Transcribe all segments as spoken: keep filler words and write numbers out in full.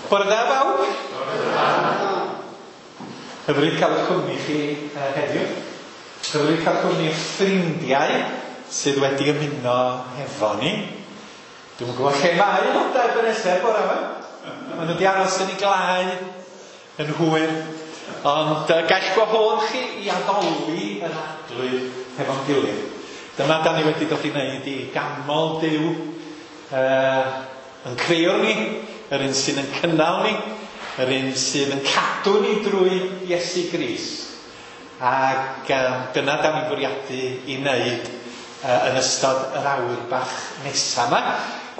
Bore da bawb. Bore da. Hyfryd cael cwmni chi uh, heddiw. Hyfryd cael cwmni ffrindiau sydd wedi ymuno hefo ni. Dwi'm yn gwybod lle mae aelodau Ebenezer bore yma. Maen nhw wedi aros yn ei glau yn hwyr. Ond uh, gall gwahodd chi i addoli yr Arglwydd hefo'n gilydd. Dyma da ni wedi dod i wneud i ganmol Duw uh, yn creuwr ni, yr un sydd yn cynnal ni, yr un sydd yn cadw ni drwy Iesu Grist. Ac um, dyna da ni'n bwriadu i wneud uh, yn ystod yr awr bach nesaf yma.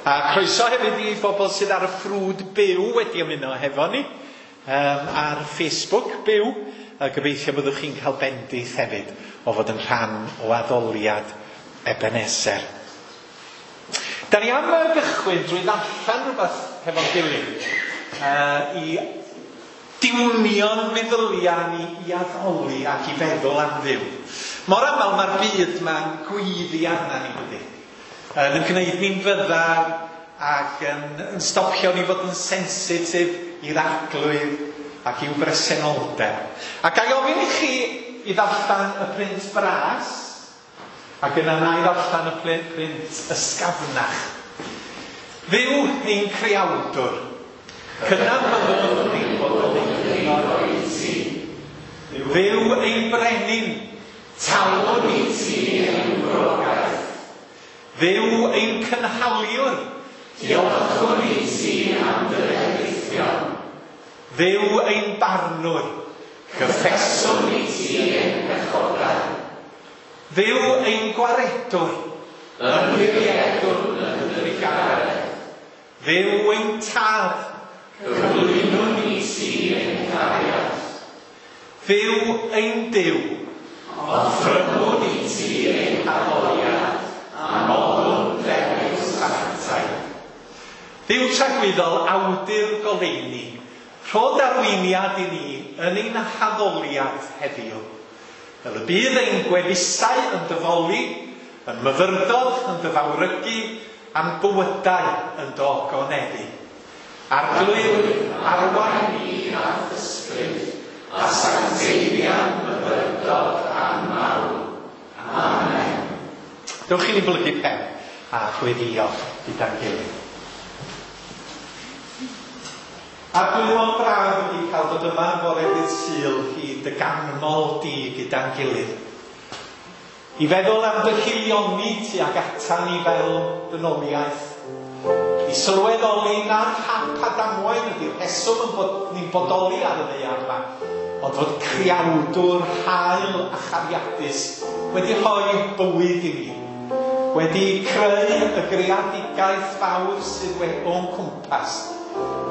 A croeso hefyd i bobl sydd ar y ffrwd byw wedi ymuno hefo ni um, ar Facebook byw. A gobeithio byddwch chi'n cael bendith hefyd o fod yn rhan o addoliad Ebenezer. Da ni am gychwyn drwy ddarllen rhywbeth hefo'n gilydd uh, i diwnio'n meddyliau ni i addoli ac i feddwl am Dduw. Mor aml mae'r byd ma'n gweiddi arna ni, dydy. Yn gwneud ni'n fyddar ac yn, yn stopio ni fod yn sensitif i'r Arglwydd ac i'w bresenoldeb. Ac a i ofyn i chi i ddarllen y print bras, ac yna na i ddarllen y print ysgafnach. Dduw ein creawdwr, cydnabyddwn ein bod yn ein cyngor i ti. Dduw ein brenin, talwn i ti ein gwrogaeth. Dduw ein cynhaliwr, diolchwn i ti am dy fendithion. Dduw ein barnwr, cyffeswn i ti ein pechodau. Dduw ein gwaredwr, ymddiriedwn yn dy drugaredd. Dduw ein tad, cyflwynwn i ti ein cariad. Dduw ein Duw, offrymwn i ti ein haddoliad, a molwn ddewis sanctaidd. Dduw tragwyddol, awdur goleuni, rhod arweiniad i ni yn ein haddoliad heddiw. Fel y bydd ein gwefusau yn dyfoli, yn myfyrdod, yn dyfawrygu, a'n bywydau yn dogoneddu. Arglwydd, arwain ni a'th ysbryd, a sancteiddia'n myfyrdod a'n mawl. Amen. Dewch i ni blygu pen a gweddïo gyda'n gilydd. Arglwydd, mor braf ydi cael dod yma fore dydd Sul i dy ganmol di gyda'n gilydd. I feddwl am dy haelioni tuag atan ni fel dynoliaeth. I sylweddoli nad hap a damwain ydy'r rheswm yn bod ni'n bodoli ar y ddaear yma, ond fod creawdwr hael a chariadus wedi rhoi bywyd i ni, wedi creu y greadigaeth fawr sydd o'n cwmpas,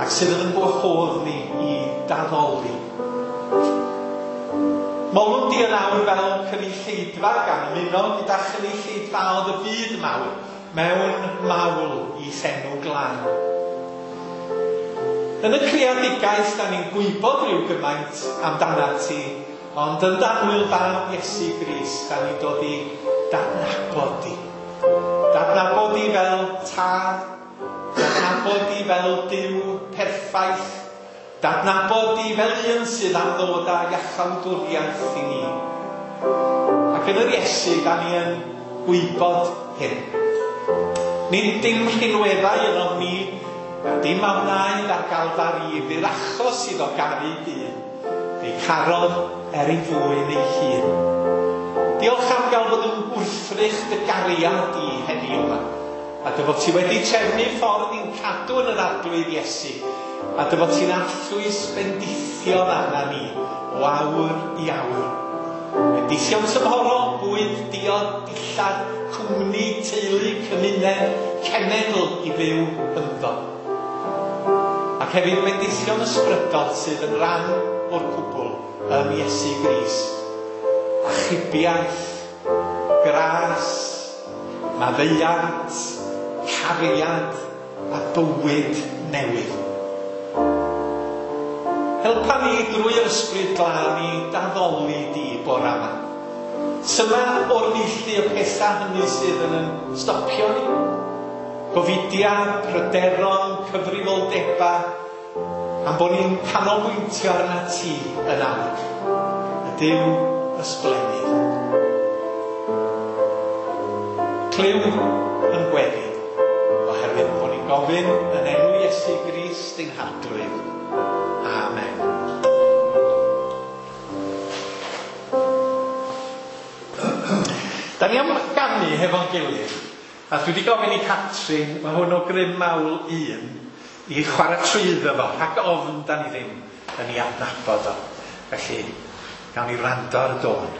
ac sydd yn gwahodd ni i daddoli. Molwn di yn awr fel cynulleidfa gan ymuno gyda chynulleidfaoedd y byd mawr mewn mawl i enw glân. Yn y creadigaeth, da ni'n gwybod rhyw gymaint amdanat ti, ond yn d'annwyl fab Iesu Grist, da ni'n dod i dadnabod di. Dadnabod di fel tad, dadnabod di fel Duw perffaith, dadnabod di fel un sydd am ddod â iachawdwriaeth i ni. Ac yn yr Iesu, da ni yn gwybod hyn. Nid dim rhinweddau yno ni, a dim a wnaed ar Galfari fydd achos iddo garu dyn, ei carodd er ei fwyn ei hun. Diolch am gael bod yn wrthrych dy gariad i heddiw yma, a dy fod ti wedi trefnu ffordd i'n cadw yn yr Arglwydd Iesu, a dy fod ti'n arllwys bendithion arna ni o awr i awr. Bendithion tymhorol, bwyd, diod, dillad, cwmni, teulu, cymuned, cenedl i fyw ynddo. Ac hefyd bendithion ysbrydol sydd yn rhan o'r cwbl yn Iesu Grist. Achubiaeth, gras, maddeuant, cariad a bywyd newydd. Helpa ni drwy'r ysbryd glân i daddoli di bore yma. Syma o'r neilltu y pethau hynny sydd yn yn stopio ni. Gofidia, pryderon, cyfrifoldeba, Am bod ni'n canolbwyntio arna ti yn awr, y Duw ysblennydd. Clyw yn gweddi, oherwydd bod ni'n gofyn yn enw Iesu Grist ein Harglwydd. Amen. Da ni am ganu hefo'n gilydd, a dwi wedi gofyn i Catrin, mae hwn o Grym Mawl un, i chwarae trwyddo fo, rhag ofn da ni ddim yn ei adnabod o. Felly, gawn ni wrando ar y dôn.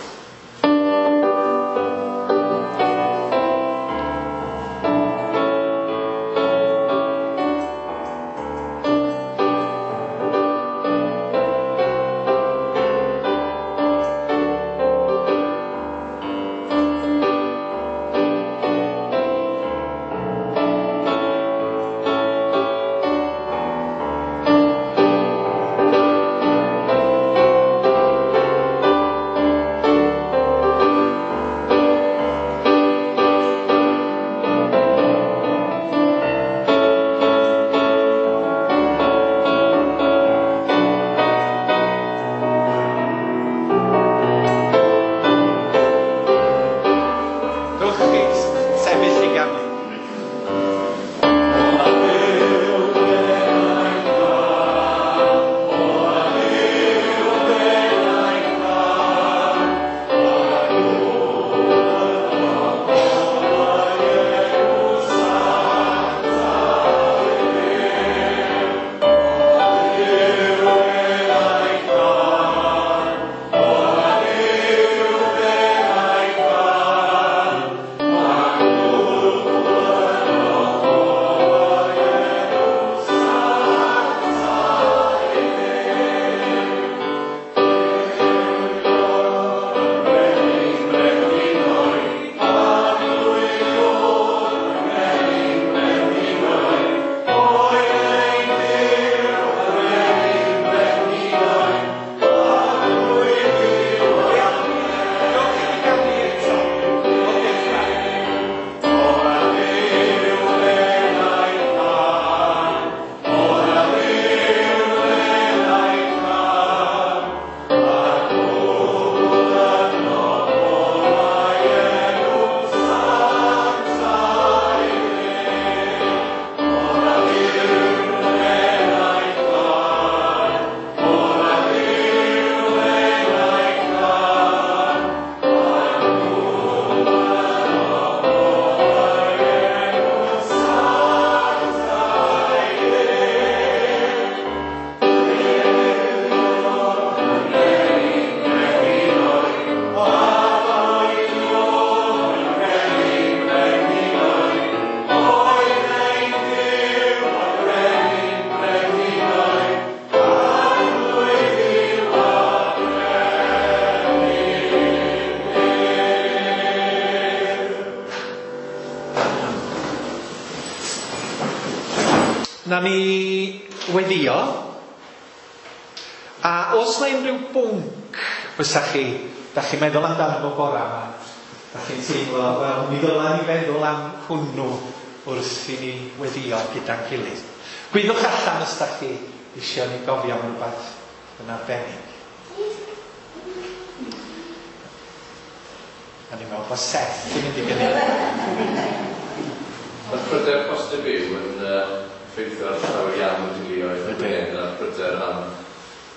Na ni weddio, a os na unrhyw bwnc fysa chi, da chi'n meddwl amdano fo bora yma, da chi'n teimlo, wel, mi ddyla ni feddwl am hwnnw wrth i ni weddio gyda'n gilydd. Gwyddwch allan os da chi isio ni gofio am rhywbeth yn arbennig. A ni'n meddwl bod Seth yn mynd i gynnig. Mae'r pryder cost y byw yn uh, effeithio ar llawer iawn o deuluoedd yn hyn, a'r pryder am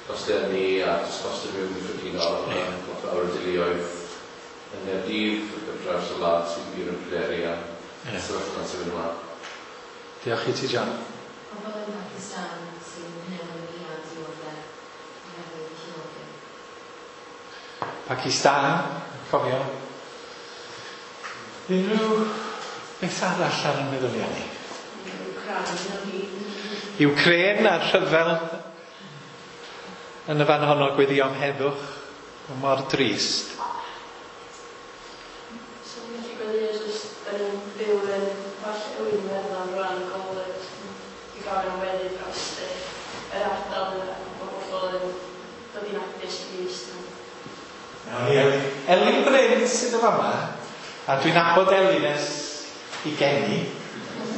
costau ynni a jyst cost y byw yn gyffredinol. Ie. Lot fawr o deuluoedd yn Nghaerdydd ac ar draws y wlad sydd wir yn pryderu am Ie. sefyllfa sy'n mynd ymlaen. Diolch i ti, John. Pobl yn Pakistan sy'n wynebu a dioddef oherwydd llifogydd. Pakistan, cofio. Unrhyw beth arall ar y meddyliau ni? Ukraine a'r rhyfel yn y fan honno, gweddio am heddwch, mor drist. So ni'n gallu gweddio jyst yn byw yn Orllewin Iwerddon rwan Gogledd i gofyn am weddi dros yr ardal yna, bod pobl yn dod i nabod Grist. Elin. Elin Bryn sydd yn fama, a dwi'n nabod Elin ers i geni.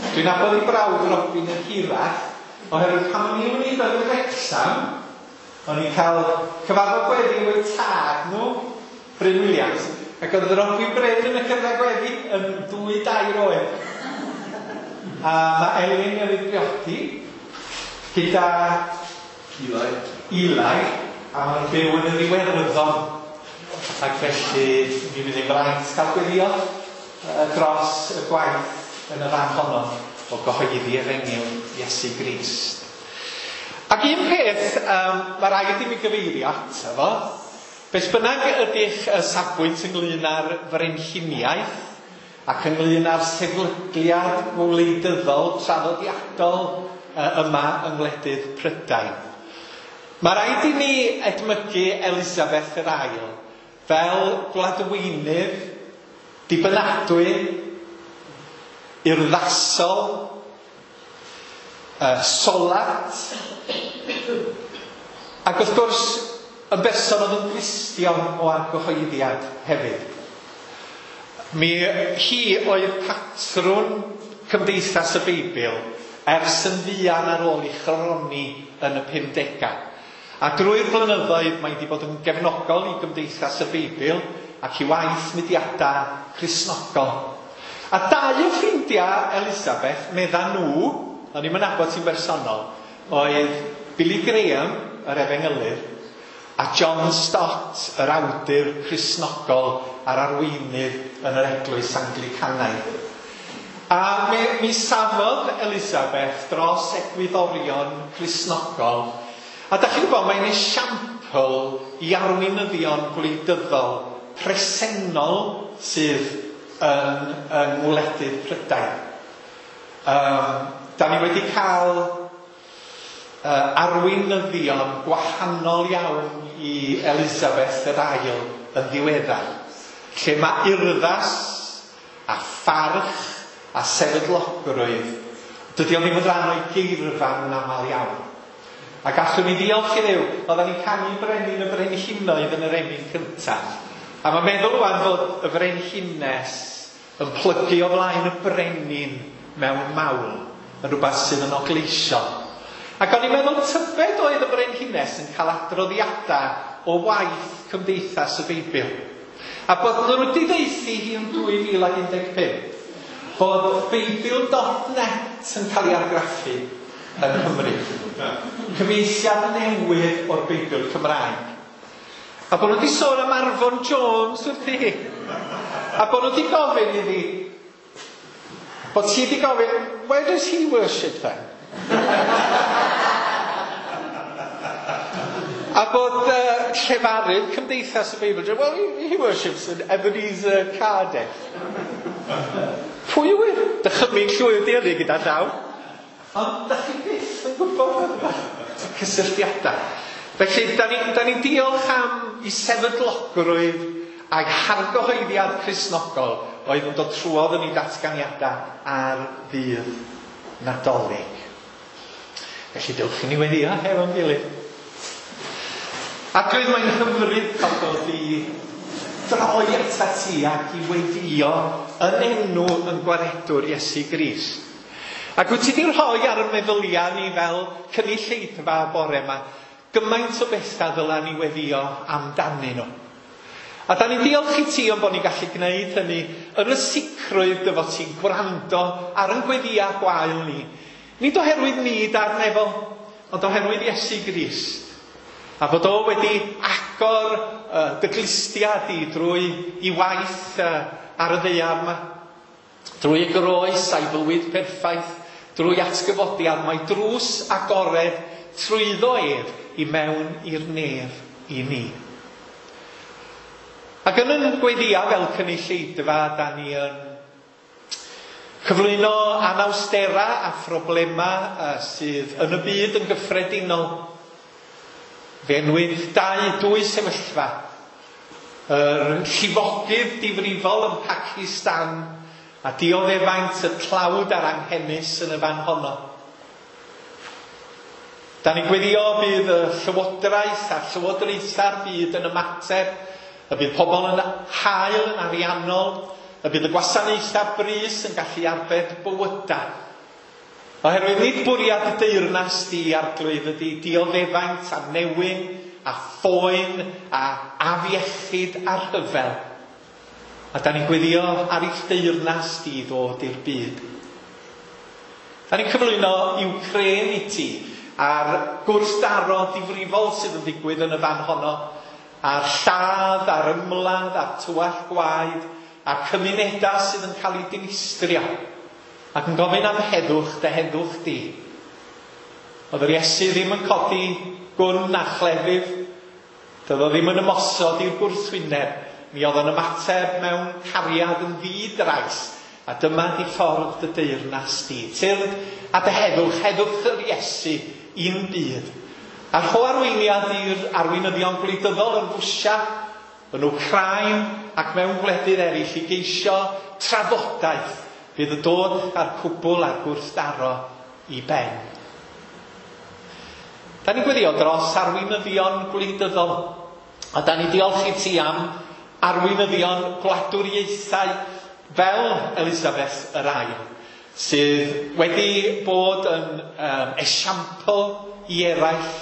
Dwi'n nabod ei brawd Robin yn hirach, Oherwydd pan o'n i'n mynd yn Wrecsam, o'n i'n cael cyfarfod gweddi efo'u tad nhw, Bryn Williams, ac oedd Robin Bryn yn y cyfnod gweddi yn dwy dair oed. A mae Elin newydd briodi gyda Eli. Eli, a maen nhw'n byw yn yr Iwerddon. Ac felly mi fydd hi'n fraint cael gweddio dros y gwaith yn y fan honno o gyhoeddi efengyl Iesu Grist. Ac un peth um, mae rhaid i mi gyfeirio ato fo, beth bynnag ydych safbwynt ynglyn â'r frenhiniaeth ac ynglyn â'r sefydliad gwleidyddol traddodiadol yma yng ngwledydd Prydain. Mae rhaid i ni edmygu Elisabeth yr Ail fel gwladweinydd dibynadwy, urddasol, uh, solat, ac wrth gwrs yn berson oedd yn Gristion o argyhoeddiad hefyd. Mi hi oedd patrwn Cymdeithas y Beibl ers yn fuan ar ôl ei chroni yn y pumdegau. A drwy'r blynyddoedd mae wedi bod yn gefnogol i Gymdeithas y Beibl ac i waith mudiadau Cristnogol. A dau o ffrindiau Elisabeth, medda nhw, o'n i'm yn nabod ti'n bersonol, oedd Billy Graham, yr efengylydd, a John Stott, yr awdur Cristnogol a'r arweinydd yn yr Eglwys Anglicanaidd. A mi, mi safodd Elisabeth dros egwyddorion Cristnogol. A da chi'n gwybod, mae'n esiampl i arweinyddion gwleidyddol presennol sydd yn, yng ngwledydd Prydain. Um, da ni wedi cael uh, arweinyddion gwahanol iawn i Elisabeth yr Ail yn ddiweddar, lle mae urddas a pharch a sefydlogrwydd, dydy o ddim yn rhan o'i geirfa yn aml iawn. A gallwn ni ddiolch i Dduw, oedden ni'n canu brenin y brenhinoedd yn yr emyn cyntaf. A mae'n meddwl rwan fod y frenhines yn plygu o flaen y brenin mewn mawl, yn rhywbeth sydd yn ogleisiol. Ac o'n i'n meddwl tybed oedd y brenhines yn cael adroddiadau o waith Cymdeithas y Beibl. A bod nhw wedi ddeuthu hi yn dwy fil ac un deg pump, bod Beibl dot net yn cael ei argraffu yng Nghymru. Cyfieithiad newydd o'r Beibl Cymraeg. A bod nhw wedi sôn am Arfon Jones wrthi hi. A bod nhw wedi gofyn iddi, bod ti wedi gofyn, where does he worship then? A bod uh, llefarydd Cymdeithas y Beibl, well, he, he worships in Ebenezer Cardiff. Pwy yw e? Dychymyg llwyr di hynny gyda llaw. Ond da chi byth yn gwybod y cysylltiadau. Felly, da ni'n da ni diolch am i sefydlogrwydd ag hargyhoeddiad Cristnogol oedd yn dod trwodd yn ei datganiadau ar ddydd Nadolig. Felly, dewch i ni weddio hefo'n gilydd. Ac roedd mae'n hyfryd cael dod i droi atat ti ac i weddio yn enw yn gwaredwr Iesu Grist. Ac wyt ti wedi rhoi ar y meddyliau ni fel cynulleidfa bore yma gymaint o bethau ddyla ni weddio amdanyn nhw. A da ni'n diolch i ti am bod ni'n gallu gwneud hynny yn y sicrwydd dy fod ti'n gwrando ar ein gweddiau gwael ni. Nid oherwydd ni da'r nefol, ond oherwydd Iesu Grist. A fod o wedi agor uh, dy glustia di drwy i waith uh, ar y ddaear yma. Drwy y groes a'i fywyd perffaith, drwy atgyfodiad, mae drws agored trwyddo ef i mewn i'r nef i ni. Ac yn yn gweddia fel cynulleidfa, da ni yn cyflwyno anawstera a phroblemau uh, sydd yn y byd yn gyffredinol. Fe enwyd dau, dwy sefyllfa. Yr llifogydd difrifol yn Pacistan a dioddefaint y tlawd a'r anghenus yn y fan honno. Da ni'n gweddio bydd y llywodraeth a llywodraetha'r byd yn ymateb, y bydd pobl yn hael yn ariannol, y bydd y gwasanaethau brys yn gallu arbed bywydau. Oherwydd nid bwriad y deyrnas di, Arglwydd, ydy dioddefaint a newyn a phoen a afiechyd a rhyfel. A da ni'n gweddio ar eich deyrnas di ddod i'r byd. Da ni'n cyflwyno Ukraine i ti a'r gwrthdaro difrifol sydd yn digwydd yn y fan honno, a'r lladd, a'r ymladd, a'r tywallt gwaed, a'r cymunedau sydd yn cael eu dinistrio, ac yn gofyn am heddwch, dy heddwch di. Oedd yr Iesu ddim yn codi gwn a chlefydd, doedd o ddim yn ymosod i'r gwrthwyneb, mi oedd o'n ymateb mewn cariad yn ddi-drais, a dyma di ffordd dy deyrnas di. Tyrd a dy heddwch, heddwch yr Iesu i'n byd. A rho arweiniad i'r arweinyddion gwleidyddol yn Rwsia, yn Wcráin ac mewn gwledydd eraill i geisio trafodaeth fydd yn dod â'r cwbl a'r gwrthdaro i ben. Da ni'n gweddio dros arweinyddion gwleidyddol, a da ni'n diolch i ti am arweinyddion gwladwriaethau fel Elisabeth yr Ail, sydd wedi bod yn um, esiampl i eraill,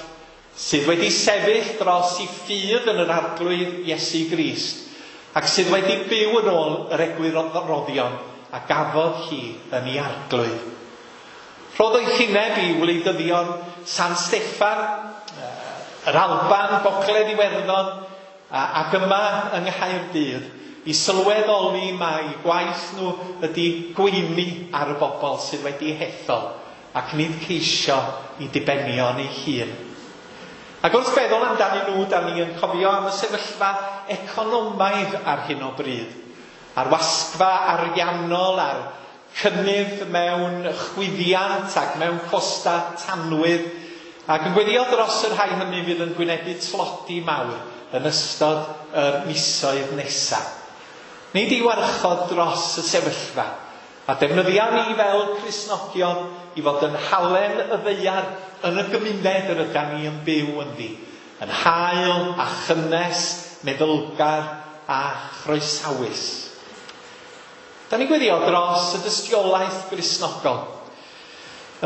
sydd wedi sefyll dros i ffydd yn yr Arglwydd Iesu Grist, ac sydd wedi byw yn ôl yr egwyddorion a gafodd hi yn ei Arglwydd. Rhodd doethineb i wleidyddion San Steffan, yr Alban, Gogledd Iwerddon, ac yma yng Nghaerdydd, i sylweddoli mai gwaith nhw ydy gweini ar y bobl sydd wedi hethol, ac nid ceisio i dibenion ei hun. Ac wrth feddwl amdanyn nhw, da ni yn cofio am y sefyllfa economaidd ar hyn o bryd, a'r wasgfa ariannol, a'r cynnydd mewn chwyddiant ac mewn costa tanwydd, ac yn gweddio dros y rhai hynny fydd yn gwynebu tlodi mawr yn ystod yr misoedd nesaf. Nid i warchod dros y sefyllfa, a defnyddia ni fel Cristnogion i fod yn halen y ddaear yn y gymuned yr ydan ni yn byw ynddi, yn hael a chynnes, meddylgar a chroesawus. Da ni'n gweddio dros y dystiolaeth Gristnogol,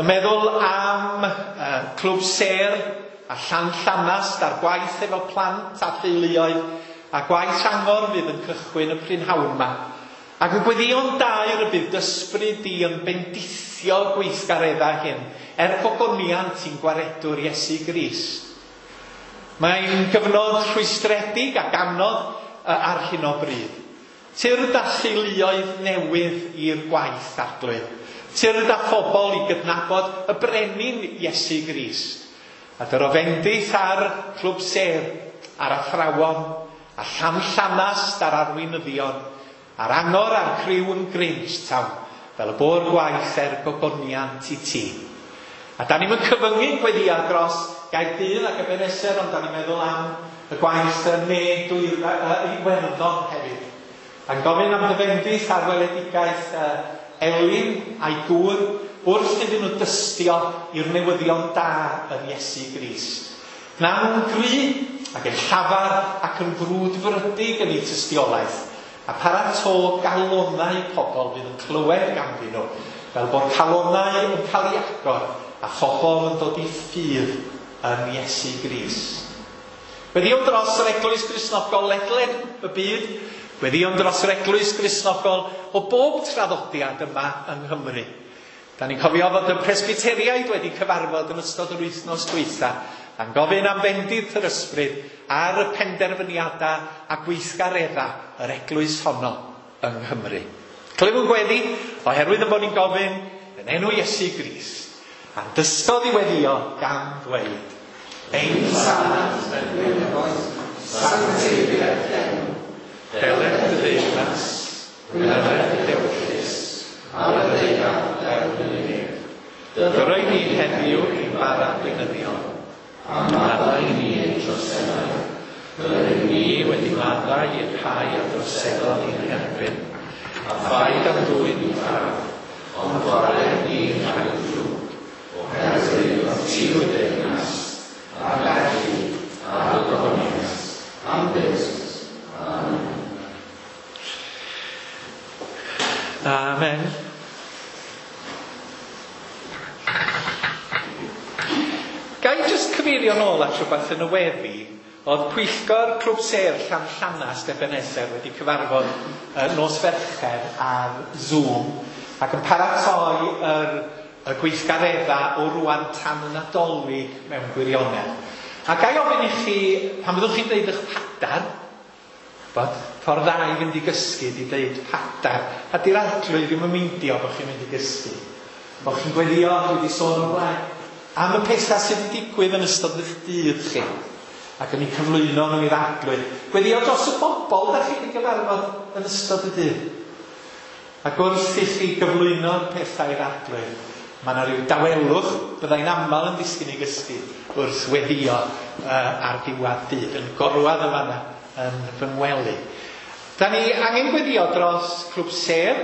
yn meddwl am uh, Clwb Sêr a Llan Llanast a'r gwaith efo plant a theuluoedd, a gwaith angor fydd yn cychwyn y prynhawn yma. Ac yn gweddïo'n daer y bydd ysbryd di yn bendithio gweithgareddau hyn, er gogoniant i'n gwaredwr Iesu Grist. Mae'n gyfnod rhwystredig ac anodd ar hyn o bryd. Tyrd â theuluoedd newydd i'r gwaith, Arglwydd. Tyrd â phobl i gydnabod y brenin Iesu Grist. A dyro fendith ar Clwb Sêr, a'r athrawon, a Llan Llanast a'r arweinyddion, a'r angor a'r criw yn Grangetown, fel y bo'r gwaith er gogoniant i ti. A da ni'n cyfyngu gweddia dros Gaerdydd ac Ebenezer, ond da ni'n meddwl am y gwaith yn ne Iwerddon hefyd. A'n gofyn am dy fendith ar weledigaeth Elin a'i gŵr wrth iddyn nhw dystio i'r newyddion da yn Iesu Grist. Na nhw'n gry ac yn llafar ac yn frwdfrydig yn eu tystiolaeth, a parato galonau pobl fydd yn clywed ganddyn nhw, fel bod calonau yn cael ei agor a phobl yn dod i ffydd yn Iesu Grist. Gweddïwn dros yr Eglwys Gristnogol ledled y byd, gweddïwn dros yr Eglwys Gristnogol o bob traddodiad yma yng Nghymru. Da ni'n cofio fod y Presbyteriaid wedi cyfarfod yn ystod yr wythnos dwytha, a'n gofyn am fendith yr ysbryd ar y penderfyniadau a gweithgareddau yr eglwys honno yng Nghymru. Clywwn gweddi, oherwydd yn bod ni'n gofyn yn enw Iesu Grist, a'n dysgodd i weddio gan ddweud, Ein Tad yn nefoedd, sancteiddied d'enw, deled dy deyrnas, gwneled dy ewyllys, ar y ddaear fel yn y nef. Dyroi ni heddiw ein bara beunyddiol, a maddau ni ein troseddau, fel yr ni wedi maddau i'r rhai a droseddodd i'n herbyn, a phaid â'n dwyn i farw, ond gwared ni rhag y drwg, oherwydd ti yw deyrnas, a'r gallu, a'r gogoniant, am byth. Amen. Amen. Ga i jyst cyfeirio nôl at rhywbeth yn y weddi? Oedd pwyllgor Clwb Sêr Llanllanast Ebenezer wedi cyfarfod uh, nos Fercher ar Zoom ac yn paratoi yr, y gweithgareddau o rwan tan y Nadolig mewn gwirionedd. A ga i ofyn i chi, pan fyddwch chi'n deud eich padar, bod ffordd dda i fynd i gysgu di deud padar, a di'r arglwydd ddim yn meindio bod chi'n mynd i gysgu. Bod chi'n gweddio, dwi wedi sôn o'r blaen, am y pethau sydd wedi digwydd yn ystod eich dydd chi, ac yn eu cyflwyno nhw i'r arglwydd. Gweddio dros y bobl da chi wedi gyfarfod yn ystod y dydd. Ac wrth i chi gyflwyno'r pethau i'r arglwydd, mae yna rhyw dawelwch, byddai'n aml yn disgyn i gysgu wrth weddio uh, ar ddiwedd dydd, yn gorwedd yn fanna yn fy ngwely. Da ni angen gweddio dros Clwb Sêr,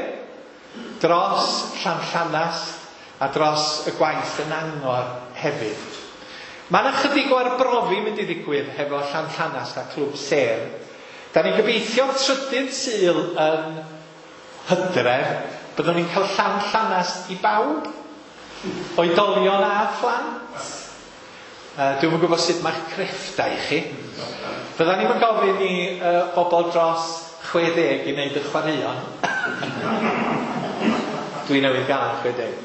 dros Llanllanast, a dros y gwaith yn Angor hefyd. Mae yna chydig o arbrofi mynd i ddigwydd hefo Llanllanast a Clwb Sêr. Da ni'n gobeithio trydydd Sul yn Hydref, byddwn ni'n cael Llanllanast i bawb, oedolion a phlant. Uh, Dwi'm yn gwybod sut mae'ch crefftau chi. Fydda ni'n gofyn i uh, bobl dros chwe deg i wneud y chwaraeon. Dwi newydd gael chwe deg.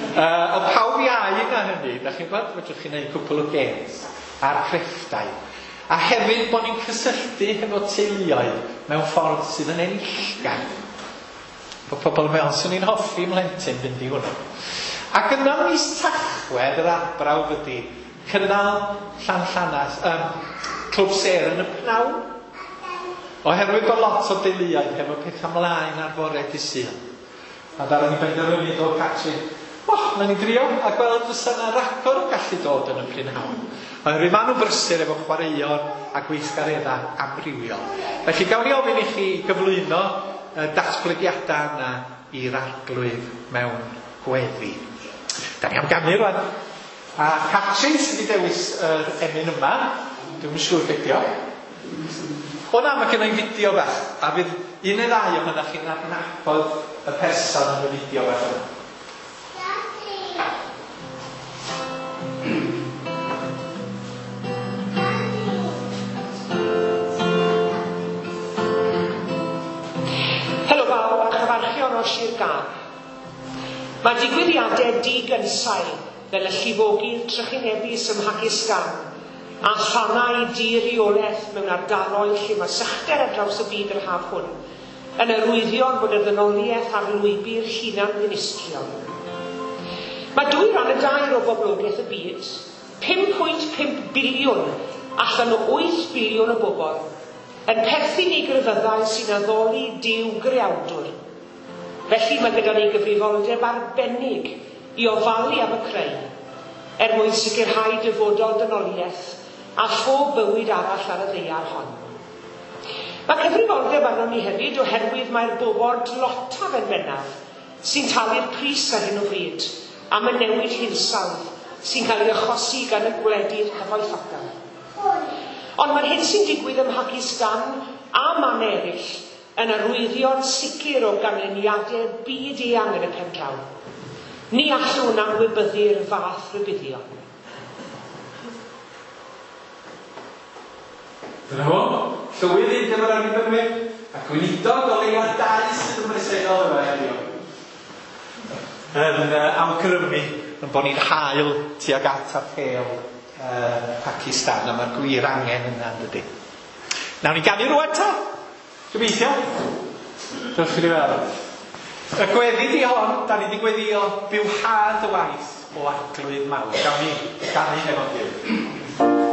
Uh, ond pawb iau na hynny, da chi'n gwybod, fedrwch chi wneud cwpl o games a'r crefftau. A hefyd bod ni'n cysylltu hefo teuluoedd mewn ffordd sydd yn enillgar. Bod pobl yn meddwl, swn i'n hoffi mhlentyn fynd i hwnna. Ac yna mis Tachwedd, yr arbrawf ydy, cynnal Llanllanast, um, Clwb Sêr yn y pnawn. Oherwydd bod lot o deuluoedd hefo pethau mlaen ar fore dydd Sul. A ddaru ni benderfynu dod Catrin, oh, na ni drio a gweld fysa yna ragor yn gallu dod yn y prynhawn. Oherwydd maen nhw'n brysur efo chwaraeon a gweithgareddau amrywiol. Felly gawn ni ofyn i chi gyflwyno y datblygiadau yna i'r arglwydd mewn gweddi. Da ni am ganu rwan. A Catrin sydd wedi dewis yr emyn yma. Dwi'm yn siŵr beth 'di o. O na, mae gen i fideo bach. A fydd un neu ddau ohonoch chi'n adnabod y person yn y fideo bach yma. Helo bawb a chyfarchion o'r Sir Gâr. Mae digwyddiadau digynsail fel y llifogydd trychinebus ym Mhacistan a thanau di-reolaeth mewn ardaloedd lle mae sychder ar draws y byd yr haf hwn yn arwyddion bod y ddynoliaeth ar lwybr hunan ddinistriol. Mae dwy ran y dair o boblogaeth y byd, pum pwynt pump biliwn allan o wyth biliwn o bobl, yn perthyn i grefyddau sy'n addoli Duw greawdwr. Felly mae gyda ni gyfrifoldeb arbennig i ofalu am y creu, er mwyn sicrhau dyfodol dynoliaeth a phob bywyd arall ar y ddaear hon. Mae cyfrifoldeb arnon ni hefyd oherwydd mae'r bobl dlotaf yn bennaf sy'n talu'r pris ar hyn o bryd am y newid hinsawdd sy'n cael ei achosi gan y gwledydd cyfoethocaf. Ond mae'r hyn sy'n digwydd ym Mhacistan a man eraill yn arwyddion sicr o ganlyniadau byd eang yn y pen draw. Ni allwn anwybyddu'r fath rybuddion. Dyna fo, llywydd Undeb yr Annibynwyr, a gweinidog o leia dau sydd yn bresennol yma heddiw. Yn uh, awgrymu yn bod ni'n hael tuag at apêl uh, Pacistan, a mae'r gwir angen yna, yn dydi. Nawn ni ganu rwan ta? Gobeithio. Dewch i ni weld. Y gweddi di hon, da ni wedi gweddio bywhad y waith o arglwydd mawr. Gawn ni ganu hefo'n gilydd. Lord.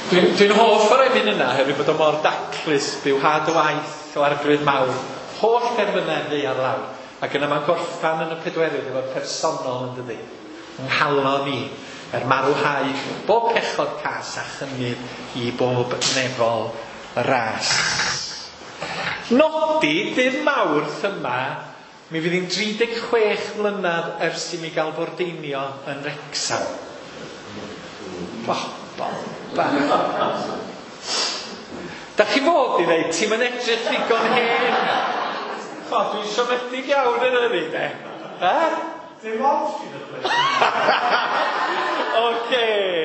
Dwi'n dwi hoff o'r emyn yna, hefyd bod o mor daclus, byw had y waith o arglwydd mawr, holl derfynau ddaear lawr. Ac yna mae'n gorffan yn y pedwerydd efo'r personol yn dydi. Yng nghalon i, er marwhau bob pechod cas a chynnydd i bob nefol ras. Nodi, dydd Mawrth yma, mi fydd hi'n dri deg chwech mlynedd ers i mi gael fordeinio yn Wrecsam. Bobol bach. Da chi fod i ddeud, ti'n mynd edrych ddigon hen. O, dwi'n siomedig iawn yn hynny, de. Ha? Dim ond sy'n y Oce,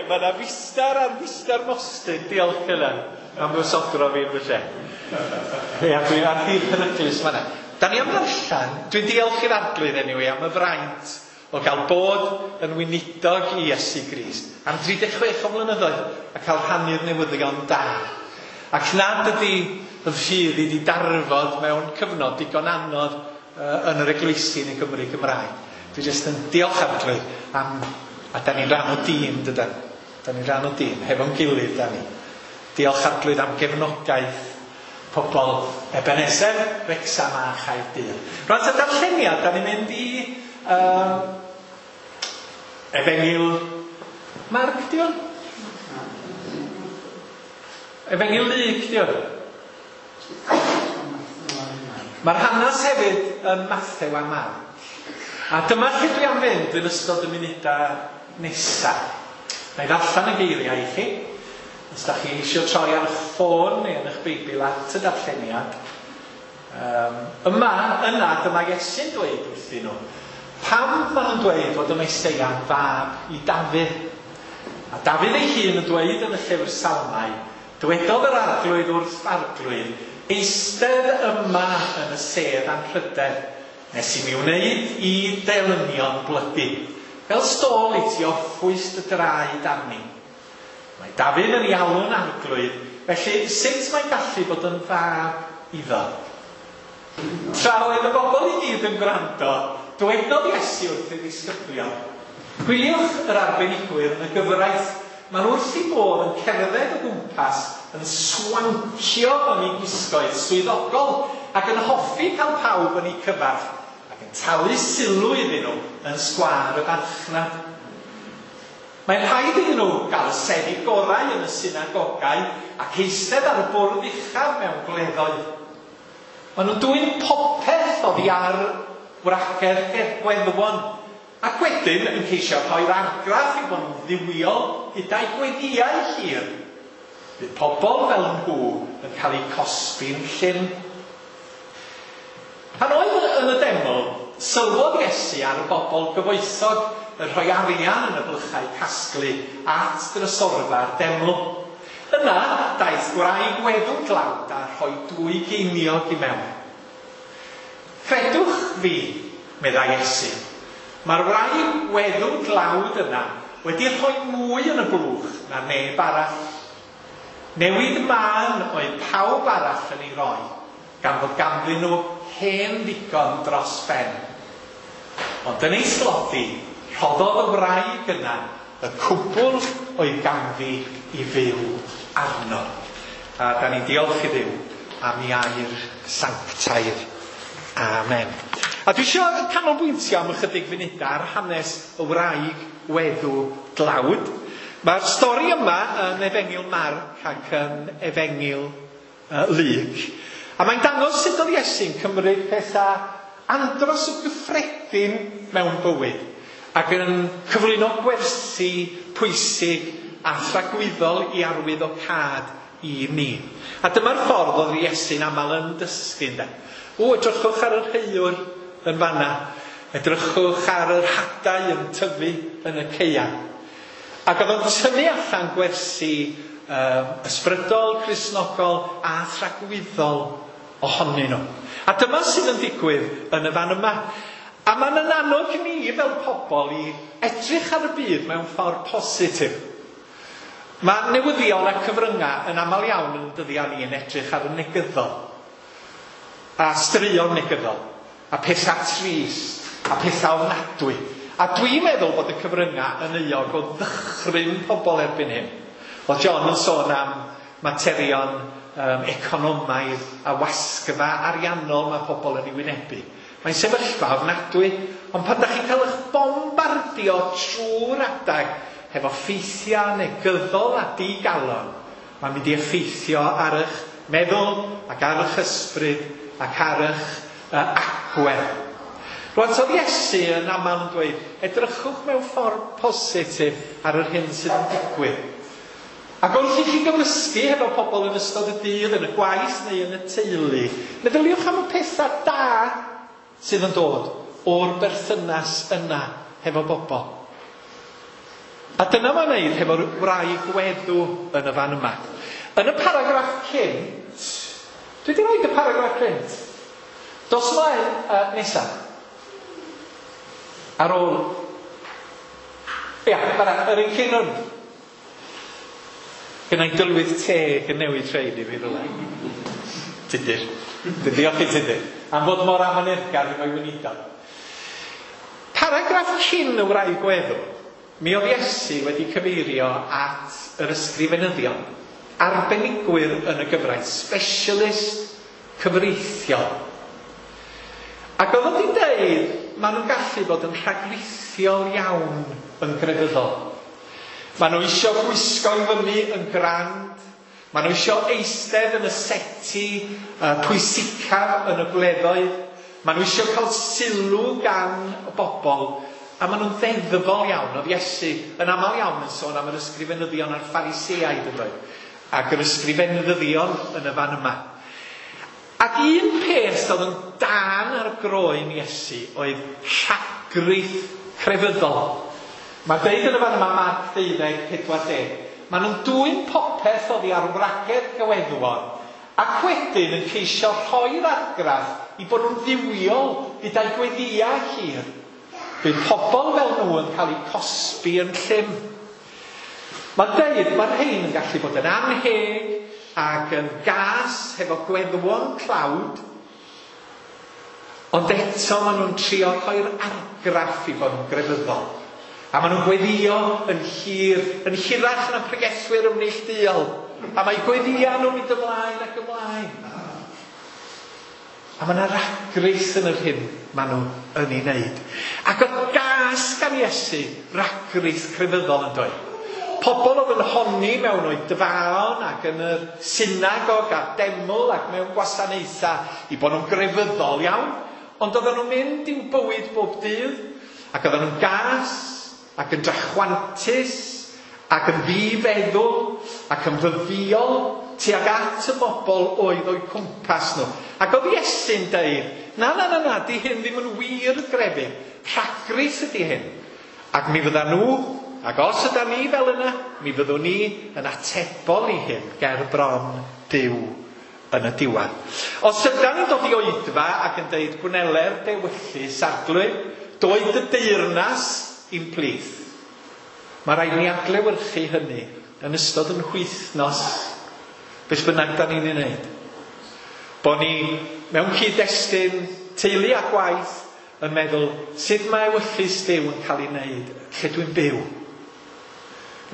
mae yna fistar ar fistar mostyn, diolch yna. Am fysodro fi yn fy lle. Ia, dwi'n ar hir peryglus fan'na. Da ni am ddarllen, dwi'n diolch i'r Arglwydd anyway am y fraint o gael bod yn weinidog i Iesu Grist am dri deg chwech o flynyddoedd a cael rhannu'r newyddion da. Ac nad ydy y ffydd i di darfod mewn cyfnod digon anodd uh, yn yr eglwysi yn y Gymru Gymraeg. Dwi jyst yn diolch Arglwydd am, a da ni'n rhan o dîm, dydan. Da ni'n rhan o dîm, hefo'n gilydd da ni. Diolch Arglwydd am gefnogaeth pobl Ebenezer, Wrecsam a Chaerdydd. Rwan ta darlleniad, da ni'n mynd i um, Efengyl Marc, di hwn? Efengyl Luc, di hwn? Mae'r hanes hefyd yn Mathew a Marc. A dyma lle dwi am fynd yn ystod y munudau nesaf. Na i ddarllen y geiriau i chi. Os da chi eisiau troi ar eich ffôn neu yn eich Beibl at y darlleniad. Um, yma, yna, dyma Iesu'n dweud wrthyn nhw. Pam maen nhw'n dweud fod y Meseia'n fab i Dafydd? A Dafydd ei hun yn dweud yn y llyfr Salmau, dywedodd yr Arglwydd wrth Arglwydd, eistedd yma yn y sedd anrhydedd, nes i mi wneud i delynion blygu, fel stôl i ti orffwys dy draed arni. Mae Dafydd yn ei alw'n Arglwydd, felly sut mae'n gallu bod yn fab iddo? Tra oedd y bobl i gyd yn gwrando, dywedodd Iesu wrth ei ddisgyblion, gwyliwch yr arbenigwyr yn y gyfraith, maen nhw wrth eu bodd yn cerdded o gwmpas, yn swancio yn eu gwisgoedd swyddogol ac yn hoffi cael pawb yn eu cyfarch ac yn talu sylw iddyn nhw yn sgwâr y farchnad. Mae'n rhaid iddyn nhw gael y seddi gorau yn y synagogau ac eistedd ar y bwrdd uchaf mewn gwleddoedd. Maen nhw'n dwyn popeth oddi ar wragedd gweddwon ac wedyn yn ceisio rhoi'r argraff i bod nhw'n dduwiol gyda'i gweddïau hir. Bydd pobl fel nhw yn cael eu cosbi'n llym. Pan oedd yn y deml, sylwodd Iesu ar y bobl gyfoethog yn rhoi arian yn y blychau casglu at drysorfa'r deml. Yna, daeth gwraig weddw dlawd a rhoi dwy geiniog i mewn. Credwch fi, meddai Iesu, mae'r wraig weddw dlawd yna wedi rhoi mwy yn y blwch na neb arall. Newid mân oedd pawb arall yn ei roi, gan fod ganddyn nhw hen ddigon dros ben. Ond yn ei thlodi, rhoddodd y wraig yna y cwbl oedd ganddi i fyw arno. A da ni'n diolch i Dduw am ei air sanctaidd. Amen. A dwi eisiau canolbwyntio am ychydig funudau ar hanes y wraig weddw dlawd. Mae'r stori yma yn Efengyl Marc ac yn Efengyl uh, Luc. A mae'n dangos sut oedd Iesu'n cymryd pethau andros o gyffredin mewn bywyd ac yn cyflwyno gwersi pwysig a thragwyddol i arwyddocâd i ni. A dyma'r ffordd oedd Iesu'n aml yn dysgu, ynde. O, edrychwch ar yr heiwr yn fanna. Edrychwch ar yr hadau yn tyfu yn y caeau. Ac oedd o'n tynnu allan gwersi um, ysbrydol, Cristnogol a thragwyddol ohonyn nhw. A dyma sydd yn digwydd yn y fan yma. A mae'n yn annog ni fel pobl i edrych ar y byd mewn ffordd positif. Mae newyddion a cyfryngau yn aml iawn yn dyddiau ni yn edrych ar y negyddol. A straeon negyddol. A pethau trist. A pethau ofnadwy. A dwi'n meddwl bod y cyfryngau yn euog o ddychryn pobl erbyn hyn. Oedd John yn sôn am materion um, economaidd a wasgfa ariannol mae pobl yn ei wynebu. Mae'n sefyllfa ofnadwy, ond pan da chi'n cael eich bombardio trwy'r adag hefo ffeithiau negyddol a digalon, mae'n mynd i effeithio ar eich meddwl ac ar eich ysbryd ac ar eich uh, agwedd. Rwan, so Iesu yn aml yn dweud, edrychwch mewn ffordd positif ar yr hyn sydd yn digwydd. Ac wrth i chi gymysgu hefo pobl yn ystod y dydd, yn y gwaith neu yn y teulu, meddyliwch am y pethau da sydd yn dod o'r berthynas yna hefo bobl. A dyna mae'n neud hefo'r wraig weddw yn y fan yma. Yn y paragraff cynt, dwi wedi rhoi y paragraff cynt. Dos ymlaen uh, nesaf. Ar ôl... Ia, fan'na, yr un cyn hwn. Gynna i dylwyth teg yn newid rhaid i fi rhywle. Tudur. Dwi'n diolch i Tudur. Am fod mor amyneddgar efo'i weinidog. Paragraff cyn y wraig weddw, mi oedd Iesu wedi cyfeirio at yr ysgrifenyddion, arbenigwyr yn y gyfraith, specialist cyfreithiol. Ac oedd wedi dweud, maen nhw'n gallu bod yn rhagrithiol iawn yn grefyddol. Maen nhw eisiau gwisgo i fyny yn grand, maen nhw eisiau eistedd yn y seti uh, pwysicaf yn y gwleddoedd, maen nhw eisiau cael sylw gan y bobl, a maen nhw'n ddeddfol iawn. Oedd Iesu yn aml iawn yn sôn am yr ysgrifenyddion a'r Phariseaid yn dweud, ac yr ysgrifenyddion yn y fan yma. Ac un peth oedd yn dan ar groen Iesu oedd rhagrith crefyddol. Mae'n deud yn y fan yma, Marc deuddeg, pedwar deg, maen nhw'n dwyn popeth oddi ar wragedd gyweddwon, ac wedyn yn ceisio rhoi'r argraff i bod nhw'n dduwiol gyda'i gweddïau hir. Bydd pobl fel nhw yn cael eu cosbi yn llym. Mae'n deud, mae'r rhain yn gallu bod yn anheg ac yn gas hefo gweddwon tlawd, ond eto maen nhw'n trio rhoi'r argraff i fod yn grefyddol. A maen nhw'n gweddio yn hir, yn hirach na pregethwyr ymneilltuol. A mae gweddio nhw'n mynd ymlaen ac ymlaen. A mae yna ragrith yn yr hyn maen nhw yn ei wneud. Ac oedd gas gan Iesu ragrith crefyddol yn dweud. Pobl oedd yn honni mewn oedfaon ac yn yr synagog a deml ac mewn gwasanaethau i bod nhw'n grefyddol iawn. Ond oedden nhw'n mynd i'w bywyd bob dydd ac oedden nhw'n gas ac yn drachwantus ac yn ddifeddwl ac yn fyfïol tuag at y bobl oedd o'u cwmpas nhw. Ac oedd Iesu'n deud, na, na, na, na, di hyn ddim yn wir grefydd, rhagrith ydy hyn. Ac mi fydda nhw, ac os yda ni fel yna, mi fyddwn ni yn atebol i hyn ger bron Duw yn y diwedd. Os yda ni'n dod i oedfa ac yn deud gwneler dewyllys arglwydd, doed y deyrnas i'n plith. Mae rhaid ni adlewyrchu hynny yn ystod yn wythnos, beth bynnag da ni'n ei wneud. Bo ni mewn cyd-destun teulu a gwaith yn meddwl sut mae ewyllys Duw yn cael ei wneud lle dwi'n byw.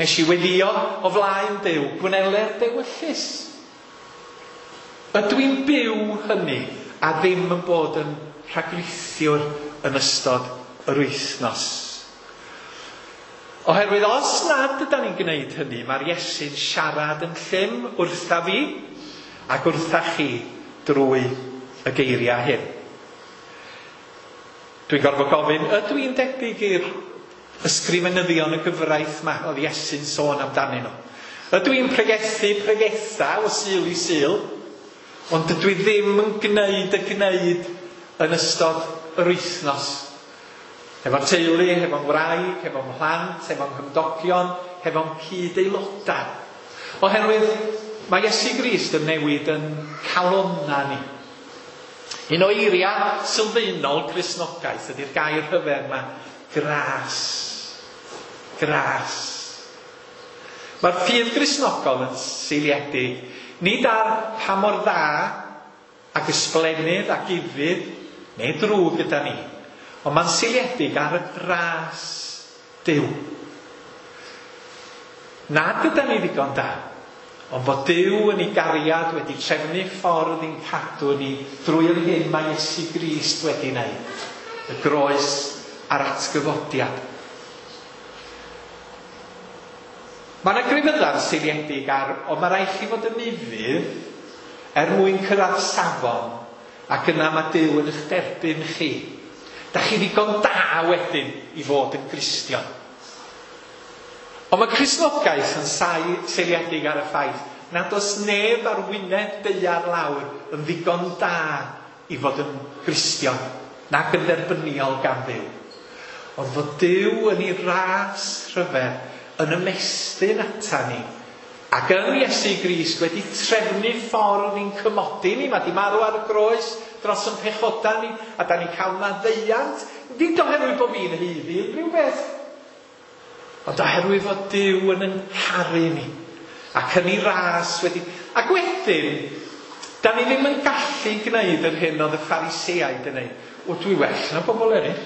Nes i weddio o flaen Duw, gwneler dewyllys. Ydw i'n byw hynny a ddim yn bod yn rhagrithiwr yn ystod yr wythnos? Oherwydd os nad ydan ni'n gwneud hynny, mae'r Iesu'n siarad yn llym wrtha fi ac wrtha chi drwy y geiriau hyn. Dwi'n gorfod gofyn, ydw i'n debyg i'r ysgrifenyddion y gyfraith yma oedd Iesu'n sôn amdanyn nhw? Ydw i'n pregethu pregetha o Sul i Sul, ond dydw i ddim yn gwneud y gwneud yn ystod yr wythnos? Efo'r teulu, efo'n wraig, efo'n mhlant, efo'n nghymdogion, efo'n cyd-aelodau. Oherwydd mae Iesu Grist yn newid yn calonna ni. Un o eiriau sylfaenol Cristnogaeth ydy'r gair rhyfedd yma, gras. Gras. Mae'r ffydd Gristnogol yn seiliedig nid ar pa mor dda ac ysblennydd ac ufudd neu drwg gyda ni, ond mae'n seiliedig ar y gras Duw. Nad ydan ni ddigon da, ond bod Duw yn ei gariad wedi trefnu ffordd i'n cadw ni drwy'r hyn mae Iesu Grist wedi wneud, y groes a'r atgyfodiad. Mae yna grefyddau'n seiliedig ar, ond mae rhaid chi fod yn ufudd er mwyn cyrraedd safon, ac yna mae Duw yn eich derbyn chi. Da chi ddigon da wedyn i fod yn Gristion. Ond mae Cristnogaeth yn seiliedig ar y ffaith nad oes neb ar wyneb daear lawr yn ddigon da i fod yn Gristion, nac yn dderbyniol gan Dduw. Ond fod Duw yn ei ras rhyfedd yn ymestyn ata ni, ac yn Iesu Grist wedi trefnu ffordd i'n cymodi ni. Mae di marw ar y groes dros yn pechoda ni, a da ni cael maddeuant, nid oherwydd bod fi'n haeddu unrhyw beth, ond oherwydd fod Duw yn yn caru ni, ac yn ei ras wedi... Ac wedyn, da ni ddim yn gallu gwneud yr hyn oedd y Phariseaid yn neud. O, dwi well na bobl eraill.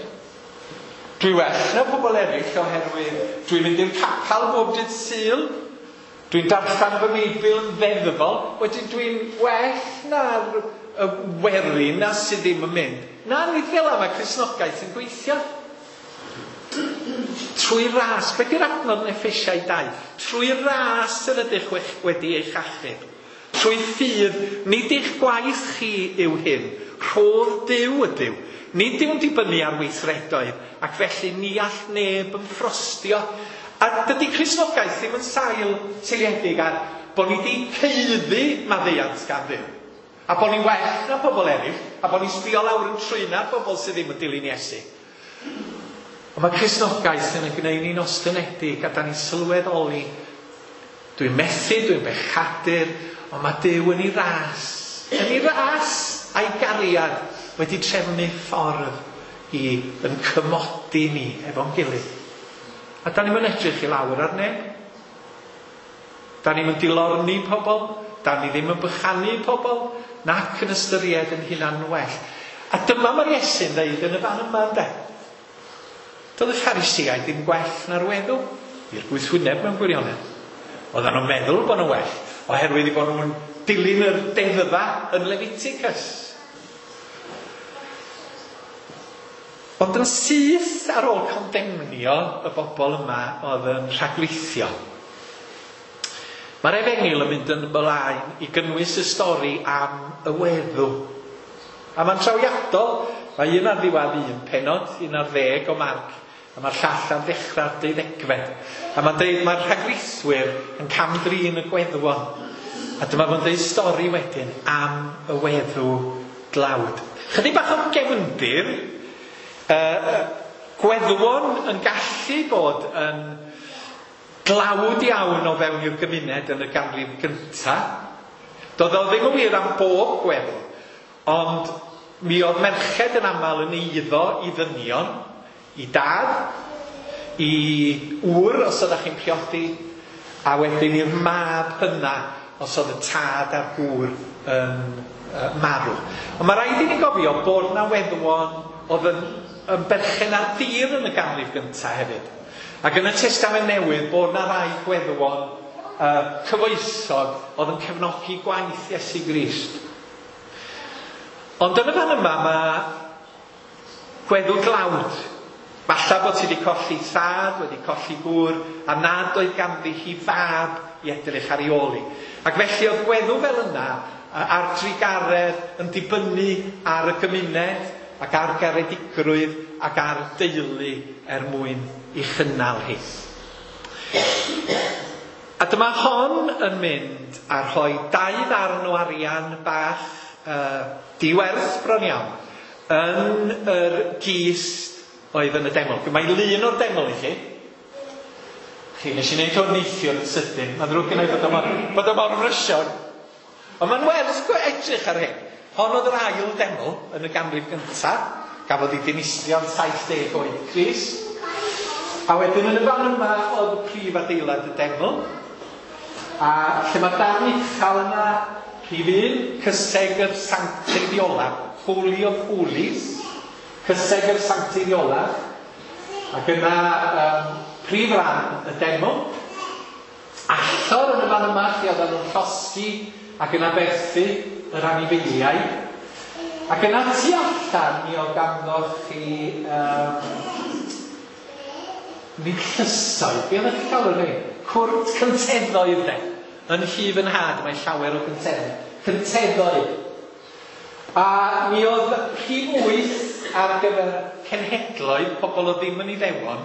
Dwi well na pobl eraill oherwydd dwi'n mynd i'r capel bob dydd Sul, dwi'n darllen fy Meibl yn ddeddfol, wedyn dwi'n well na'r y werin na sydd ddim yn mynd. Na, nid fel yma mae Cristnogaeth yn gweithio. Trwy ras, beth yw'r adnod yn Effesiaid dau? Trwy ras yr ydych wedi eich achub. Trwy ffydd, nid eich gwaith chi yw hyn. Rhodd Duw ydyw. Nid yw'n dibynnu ar weithredoedd, ac felly ni all neb yn ffrostio. A dydy Cristnogaeth ddim yn sail seiliedig ar bod ni wedi haeddu maddeuant gan Dduw, a bod ni'n well na pobl eraill, a bod ni'n sbio lawr yn trwyna'r bobl sydd ddim yn dilyn Iesu. Ond mae Cristnogaeth yn gwneud ni'n ostynedig, a da ni'n sylweddoli, dwi'n methu, dwi'n bechadur, ond mae Duw yn ei ras, yn ei ras a'i gariad wedi trefnu ffordd i yn cymodi ni efo'n gilydd. A da ni'n edrych i lawr ar neb. Da ni'n dilorni pobl, da ni ddim yn bychanu pobl, nac yn ystyried yn hunan well. A dyma mae'r Iesu'n dweud yn y fan yma, ynde. Doedd y Phariseaid ddim gwell na'r weddw, i'r gwythwyneb mewn gwirionedd. Oedden nhw'n meddwl bod nhw'n well, oherwydd i bod nhw'n dilyn yr deddfa yn Leviticus. Ond yn syth ar ôl condemnio y bobl yma oedd yn rhagweithio, mae'r Efengyl yn mynd yn ymlaen i gynnwys y stori am y weddw. A mae'n trawiadol, mae un ar ddiwedd un pennod, un ar ddeg o Marc, a mae'r llall ar ddechrau'r deuddegfed. A mae'n dweud mae'r rhagweithwyr yn cam-drin y gweddwon. A dyma fo'n dweud stori wedyn am y weddw dlawd. Chydig bach o gefndir. Uh, gweddwon yn gallu bod yn dlawd iawn o fewn i'r gymuned yn y ganrif gyntaf. Doedd o ddim yn wir am bob gweddw, ond mi oedd merched yn aml yn eiddo i ddynion, i dad, i ŵr os oeddech chi'n priodi, a wedyn i'r mab hynna os oedd y tad a'r gŵr yn uh, marw. Ond mae rhaid i ni gofio bod na weddwon oedd yn, yn berchen ar dir yn y ganrif gyntaf hefyd. Ac yn y Testament Newydd bod na rai gweddwon uh, cyfoethog oedd yn cefnogi gwaith Iesu Grist. Ond yn y fan yma mae gweddw dlawd. Falla bod ti wedi colli thad, wedi colli gŵr, a nad oedd ganddi hi fab i edrych ar ei ôl hi. Ac felly oedd gweddw fel yna a'r trugaredd yn dibynnu ar y gymuned ac ar garedigrwydd ac ar deulu er mwyn i chynnal hi. A dyma hon yn mynd a rhoi dau ddarn o arian bach uh, diwerth bron iawn yn yr gist oedd yn y deml. Mae lun o'r deml i chi. Chi, nes i wneud hwn neithiwr yn sydyn. Mae'n ddrwg gen i bod o mor, bod o mor frysiog. Ond mae'n werth edrych ar hyn. Hon oedd yr ail deml yn y ganrif gyntaf. Gafodd ei dinistrio'n saith deg oed Crist. A wedyn yn y fan yma oedd y prif adeilad y deml. A lle mae darn uchel yna, rhif un, cysegr sancteiddiolaf, Holy of Holies, cysegr sancteiddiolaf. Ac yna um, prif ran y deml. Allor yn y fan yma lle oedden nhw'n llosgi ac yn aberthu yr anifeiliaid. Ac yna tu allan mi oedd ganddo chi um, nid llysoedd, be oeddech chi'n cael yr rhain? Cwrt cynteddoedd de. Yn nhŷ fy nhad mae llawer o gynteddoedd. Cynteddoedd. A mi oedd rhif wyth ar gyfer cenhedloedd, pobl oedd ddim yn Iddewon.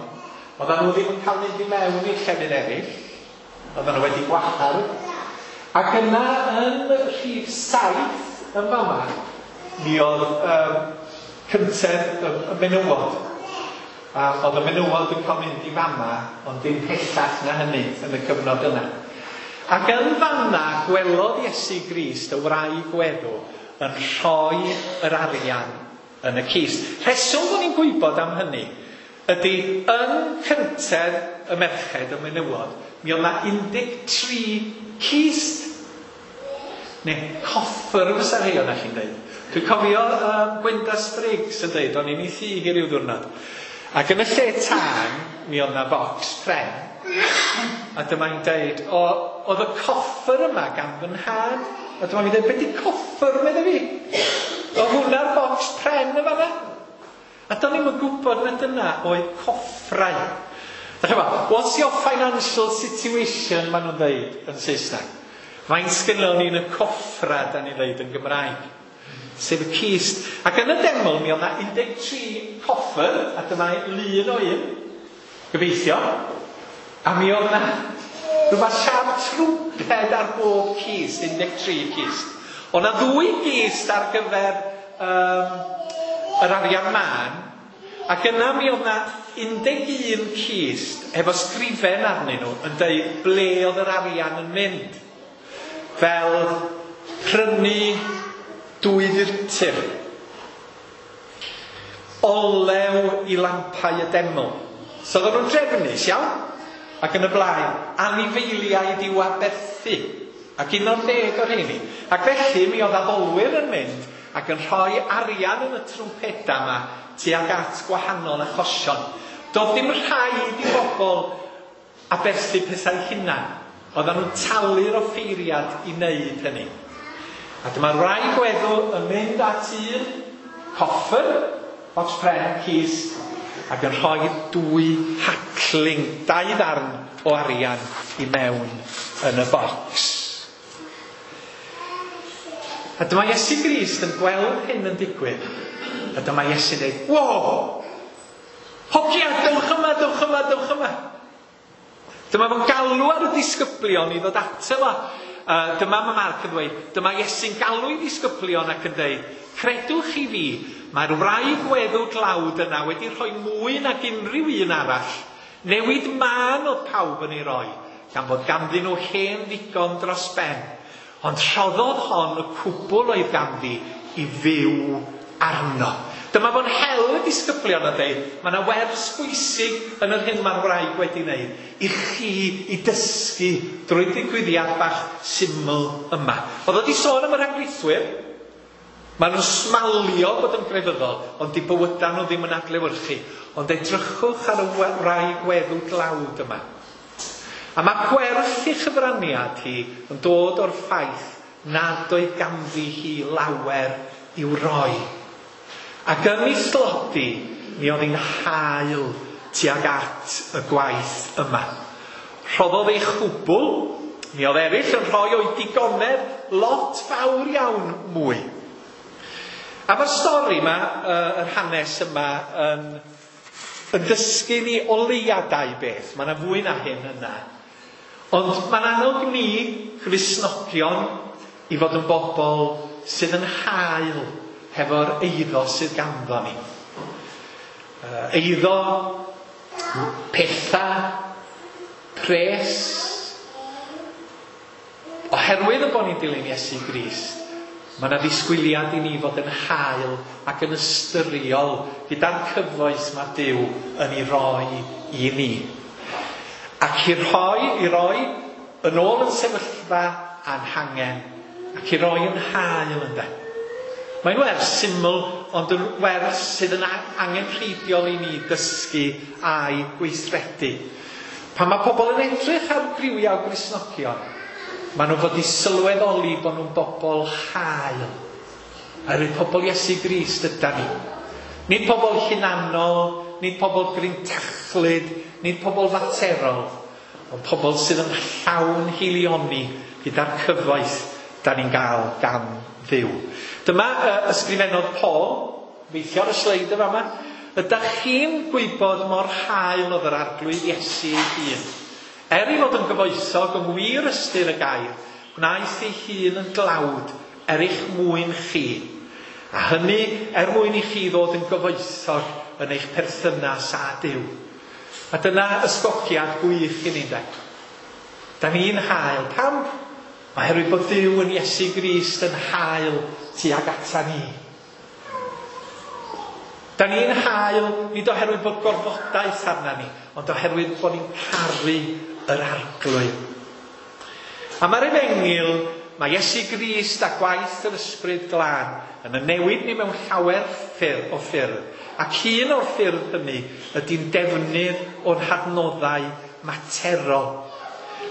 Oedden nhw ddim yn cael mynd i mewn i'r llefydd eraill. Oedden nhw wedi gwahardd. Ac yna yn rhif saith yn fama, mi oedd um, cyntedd y, y menywod. A oedd y menywod yn cael mynd i fama, ond dim pellach na hynny yn y cyfnod yna. Ac yn fanna gwelodd Iesu Grist y wraig weddw yn rhoi yr arian yn y cist. Rheswm bod ni'n gwybod am hynny ydy yn cyntedd y merched y menywod, mi oedd 'na un deg tri cist. Neu coffer fysa rhai o'na chi'n dweud. Dwi'n cofio um, Gwenda Spriggs yn dweud, o'n i'n ei thŷ hi ryw ddiwrnod. Ac yn y lle tân, mi oedd 'na bocs pren. A dyma'n dweud, o, oedd y coffer yma gan fy nhad. A dyma fi'n dweud, be di coffer, medde fi? Oedd hwnna'r bocs pren yma fan'na? A do'n i'm yn gwybod na dyna oedd coffrau. A ch'mo, what's your financial situation, maen nhw'n dweud yn Saesneg. Faint sgynnon ni yn y coffra, da ni'n dweud yn Gymraeg. Sef y cist. Ac yn y deml, mi oedd 'na un deg tri coffer, a dyma lun o un, gobeithio. A mi oedd 'na rhywbeth siâp trwmped ar bob cist, un deg tri cist. Oedd 'na ddwy gist ar gyfer um, yr arian mân, ac yna mi oedd 'na un deg un cist efo sgrifen arnyn nhw yn dweud ble oedd yr arian yn mynd. Fel prynu dwy furtur, olew i lampau y deml. So oedden nhw'n drefnus, iawn? Ac yn y blaen, anifeiliaid i'w aberthu. Ac un o'r deg o'r rheini. Ac felly mi oedd addolwyr yn mynd ac yn rhoi arian yn y trwmpeda yma tuag at gwahanol achosion. Doedd dim rhaid i bobl aberthu pethau hunan. Oedden nhw'n talu'r offeiriad i wneud hynny. A dyma'r wraig weddw yn mynd at un coffer, bocs pren, cist, ac yn rhoi dwy hacling, dau ddarn o arian i mewn yn y bocs. A dyma Iesu Grist yn gweld hyn yn digwydd. A dyma Iesu'n dweud, wow! Hogia, dewch yma, dewch yma, dewch yma. Dyma fo'n galw ar y disgyblion i ddod ato fo. Uh, dyma mae Marc yn dweud, dyma Iesu'n galw i ddisgyblion ac yn dweud, credwch chi fi, mae'r wraig weddw dlawd yna wedi rhoi mwy nag unrhyw un arall. Newid mân oedd pawb yn ei roi, gan fod ganddyn nhw hen ddigon dros ben. Ond rhoddodd hon y cwbl oedd ganddi i fyw arno. Dyma fo'n hel y disgyblion a dweud, mae yna wers bwysig yn yr hyn mae'r wraig wedi wneud, i chi i dysgu drwy ddigwyddiad bach syml yma. Oedd o wedi sôn am y rhagrithwyr. Maen nhw'n smalio bod yn grefyddol, ond di bywydau nhw ddim yn adlewyrchu. Ond edrychwch ar y wraig weddw dlawd yma. A mae gwerth ei chyfraniad hi yn dod o'r ffaith nad oedd ganddi hi lawer i'w roi. Ac yn ei thlodi, mi oedd hi'n hael tuag at y gwaith yma. Rhoddodd ei chwbl, mi oedd eraill yn rhoi o'i digonedd lot fawr iawn mwy. A mae'r stori yma, yr hanes yma, yn, yn dysgu ni o leia dau beth. Mae yna fwy na hyn yna. Ond mae'n annog ni, Gristnogion, i fod yn bobl sydd yn hael hefo'r eiddo sydd ganddo ni. Eiddo, pethau, pres. Oherwydd y bod ni'n dilyn Iesu Grist, mae yna ddisgwyliad i ni fod yn hael ac yn ystyriol gyda'r cyfoeth mae Duw yn ei roi i ni. Ac i rhoi, i roi yn ôl yn sefyllfa a'n hangen, ac i roi yn hael ynde. Mae'n wers syml, ond yn wers sydd yn angenrheidiol i ni dysgu a'i gweithredu. Pan mae pobl yn edrych ar griwiau Gristnogion, maen nhw'n fod i sylweddoli bod nhw'n bobl hael. Oherwydd pobl Iesu Grist ydan ni. Nid pobl hunanol, nid pobl grintachlyd, nid pobl faterol, ond pobl sydd yn llawn hilioni gyda'r cyfoeth da ni'n gael gan Dduw. Dyma uh, ysgrifennodd Paul, weithio ar y sleid yma yma, ydych chi'n gwybod mor hael oedd yr Arglwydd Iesu ei hun? Er ei fod yn gyfoethog yng ngwir ystyr y gair, gwnaeth ei hun yn glawd er eich mwyn chi. A hynny er mwyn i chi ddod yn gyfoethog yn eich perthynas â Duw. A dyna ysgogiad gwych i ni, de. Da ni'n hael. Pam? Oherwydd bod Duw yn Iesu Grist yn hael tuag ata ni. Da ni'n hael nid oherwydd bod gorfodaeth arna ni, ond oherwydd bod ni'n caru yr Arglwydd. A mae'r Efengyl, mae Iesu Grist a gwaith yr Ysbryd Glân yn y newid ni mewn llawer ffyrdd o ffyrdd. Ac un o'r ffyrdd hynny ydy'n defnydd o'n hadnoddau materol.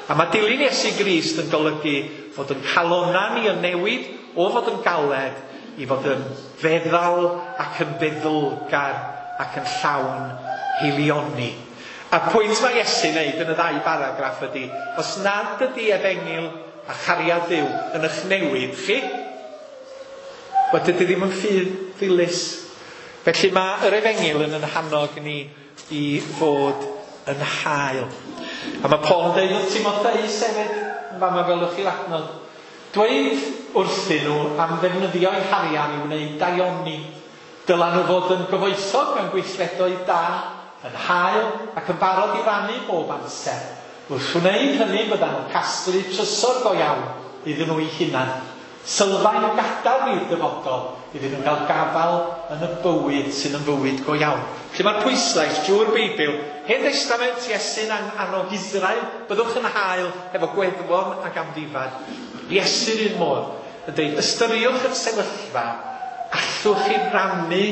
A mae dilyn Iesu Grist yn golygu fod yn calonna ni yn newid o fod yn galed i fod yn feddal ac yn feddylgar ac yn llawn hilioni. A pwynt mae Iesu'n neud yn y ddau baragraff ydy, os nad ydy Efengyl a chariad Duw yn eich newid chi, wel dydy ddim yn ffydd ddilys. Felly mae yr Efengyl yn yn hannog ni i fod yn hael. A mae Paul yn dweud wrth Timotheus hefyd, yn fama gwelwch chi'r adnod, dweud wrthyn nhw am ddefnyddio'u harian i wneud daioni. Dylan nhw fod yn gyfoethog mewn gweithredoedd da, yn hael ac yn barod i rannu bob amser. Wrth wneud hynny byddan nhw'n casglu trysor go iawn iddyn nhw eu hunan. Sylfaen o gadarn i'r dyfodol iddyn nhw gael gafael yn y bywyd sydd yn fywyd go iawn. Felly mae'r pwyslais drwy'r Beibl, Hen Testament, Iesu'n annog Israel, byddwch yn hael efo gweddwon ac amddifad. Iesu'r un modd yn dweud, ystyriwch y sefyllfa, allwch chi rannu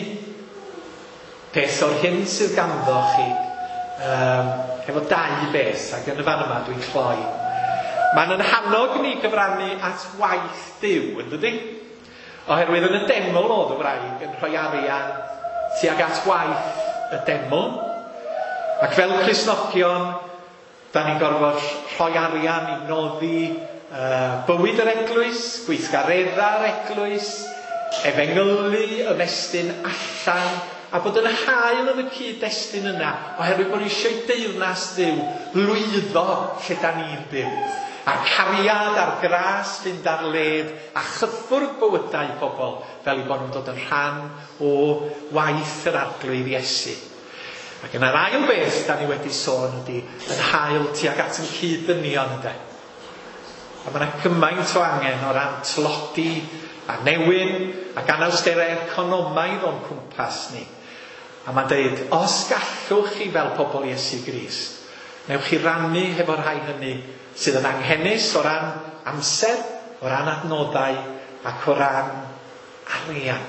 peth o'r hyn sydd ganddo chi, um, efo dau beth, ac yn y fan yma dwi'n cloi. Mae'n yn hannog ni gyfrannu at waith Duw, yn dydi? Oherwydd yn y deml oedd y wraig yn rhoi arian tuag at waith y deml. Ac fel Cristnogion, da ni'n gorfod rhoi arian i noddi uh, bywyd yr eglwys, gweithgareddau'r eglwys, efengylu, ymestyn allan, a bod yn hael yn y cyd-destun yna, oherwydd bod ni eisiau deyrnas Dduw lwyddo lle da ni'n byw. A'r cariad a'r gras fynd ar led a chyffwrdd bywydau pobl fel eu bod nhw'n dod yn rhan o waith yr Arglwydd Iesu. Ac yna'r ail beth da ni wedi sôn ydy yn hael tuag at yn cyd-ddynion, ynde. A mae yna gymaint o angen o ran tlodi a newyn ac anawsterau economaidd o'n cwmpas ni. A mae'n deud, os gallwch chi fel pobl Iesu Grist, newch chi rannu hefo'r rhai hynny sydd yn anghenus o ran amser, o ran adnoddau ac o ran arian.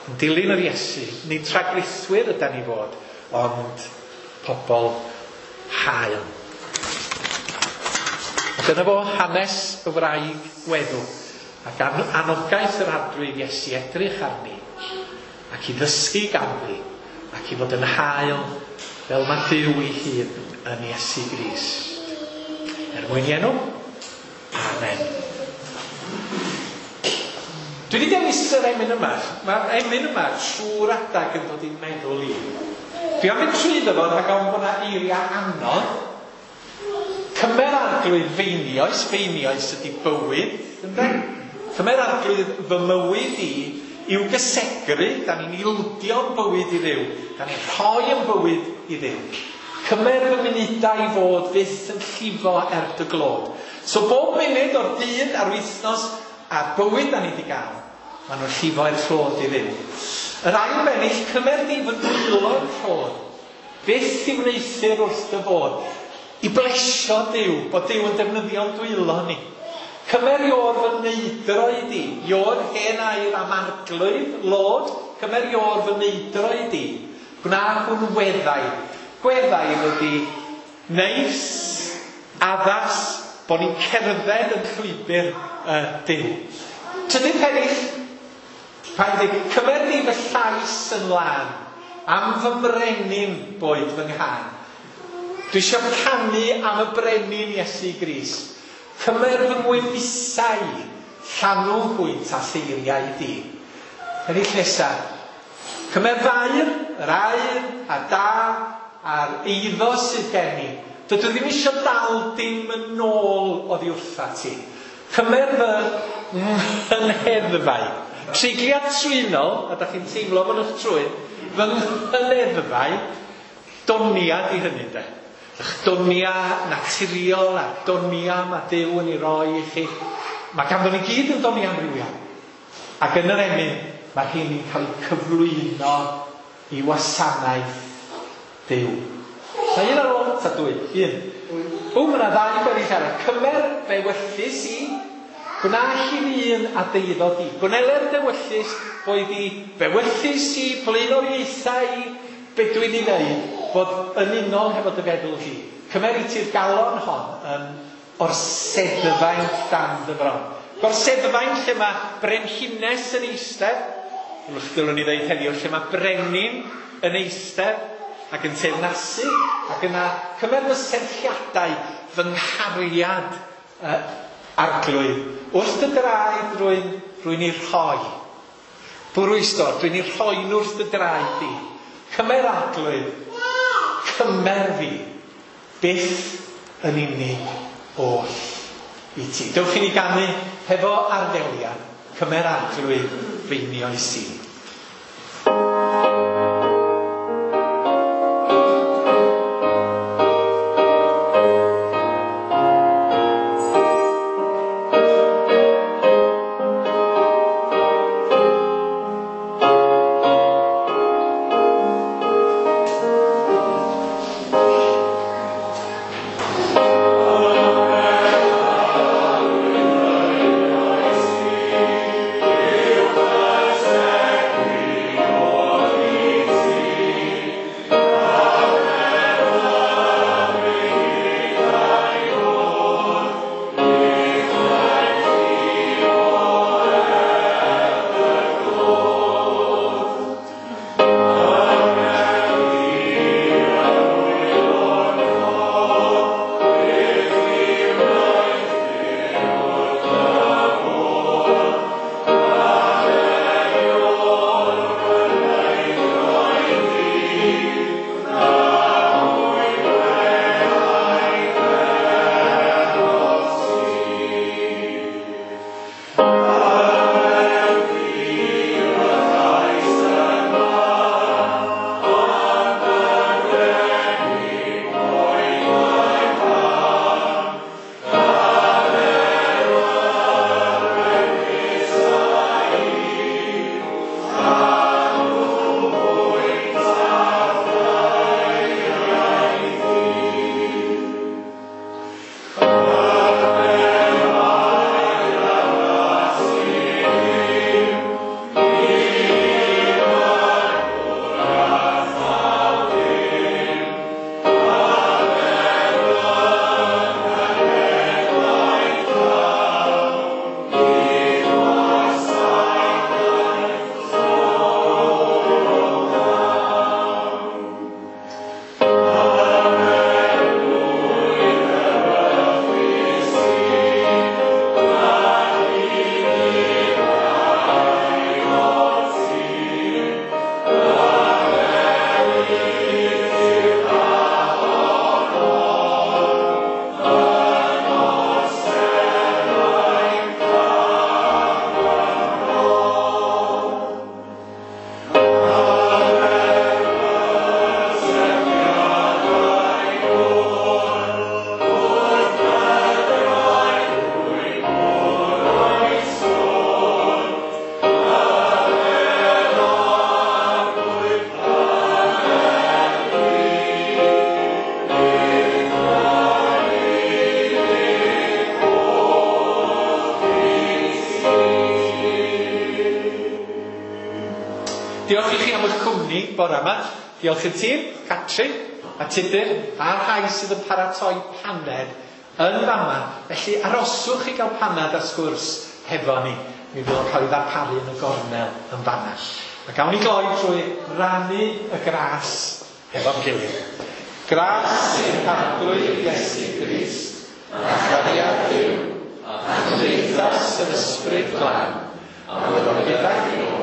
Yn dilyn yr Iesu, nid rhagrithwyr ydan ni fod, ond pobl hael. A dyna fo hanes y wraig weddw, ac anogaeth yr Arglwydd Iesu edrych arni, ac i ddysgu ganddi, ac i fod yn hael fel mae Duw ei hun yn Iesu Grist. Er mwyn i enw, amen. Dwi wedi dewis yr emyn yma. Mae'r emyn yma trwy'r adag yn dod i'n meddwl i. Dwi am fynd trwyddo fo rhag ofn bod 'na eiriau anodd. Cymer Arglwydd feinioes, feinioes ydy bywyd, ynde? Cymer Arglwydd fy mywyd i i'w gysegru, da ni'n ildio'n bywyd i Dduw, da ni'n rhoi yn bywyd i Dduw. Cymer fy munudau i fod fyth yn llifo er dy glod. So bob munud o'r dydd a'r wythnos a'r bywyd da ni wedi gael, maen nhw'n llifo i'r clod i Dduw. Yr ail bennill, cymer di fy nwylo'n rhodd, byth i wneuthur wrth dy fodd, i blesio Duw, bod Duw yn defnyddio'n dwylo ni. Cymer ior fy neidro i di, ior hen air am arglwydd, Lord, cymer ior fy neidro i di, gwna hwn weddau, Gweddaidd ydy neis, addas, bod ni'n cerdded yn llwybr uh, Duw. Trydydd pennill, pa'n dweud, cymer di fy llais yn lân, am fy mrenin boed fy nghân. Dwi eisiau canu am y brenin Iesu Grist. Cymer fy ngwefusau, llanw hwynt a lleiriau di. Pennill nesaf, cymer fair, yr aur, a da, a'r eiddo sydd gen i. Dydw i ddim eisiau dal dim yn ôl oddi wrtha ti. Cymer fy nghyneddfau. Treigliad trwynol, a da chi'n teimlo fo'n eich trwyn, fy nghyneddfau, donia di hynny de. Ych donia naturiol a donia mae Duw yn ei roi i chi. Mae ganddo ni gyd yn donia amrywiol. Ac yn yr emyn, mae hyn yn cael ei cyflwyno i wasanaeth Duw. Sa un ar ôl, ta dwy? Un. O, mae yna ddau bennill arall. Cymer fewyllys i, gwna hi'n un a deuddo di. Gwneler dewyllys, boed i fewyllys i, blaenoriaethau i, be dwi'n ei wneud, bod yn unol hefo dy feddwl hi. Cymer i ti'r galon hon yn orseddfaint dan dy fron. Gorseddfaint lle mae brenhines yn eistedd, dylwn ni ddeud heddiw, lle mae brenin yn eistedd ac yn teyrnasu, ac yna cymer fy serchiadau, fy nghariad uh, arglwydd. Wrth dy draed rwy'n rwy'n ei rhoi. Bwrw i stor, dwi'n ei rhoi nhw wrth dy draed di. Cymer arglwydd, cymer fi, byth yn unig oll i ti. Dewch i ni ganu hefo arddeliad, cymer arglwydd feinioes i. Diolch i chi am eich cwmni bore yma. Diolch i'r tîm, Catrin, a Tudur a'r rhai sydd yn paratoi paned yn fama. Felly aroswch i gael paned a sgwrs hefo ni. Mi fydd o'n cael ei ddarparu yn y gornel yn fanna. A gawn ni gloi trwy rannu y gras hefo'n gilydd. Gras i'n Harglwydd Iesu Grist, a chariad Duw, a chymdeithas yr Ysbryd Glân, a fyddo gyda chi.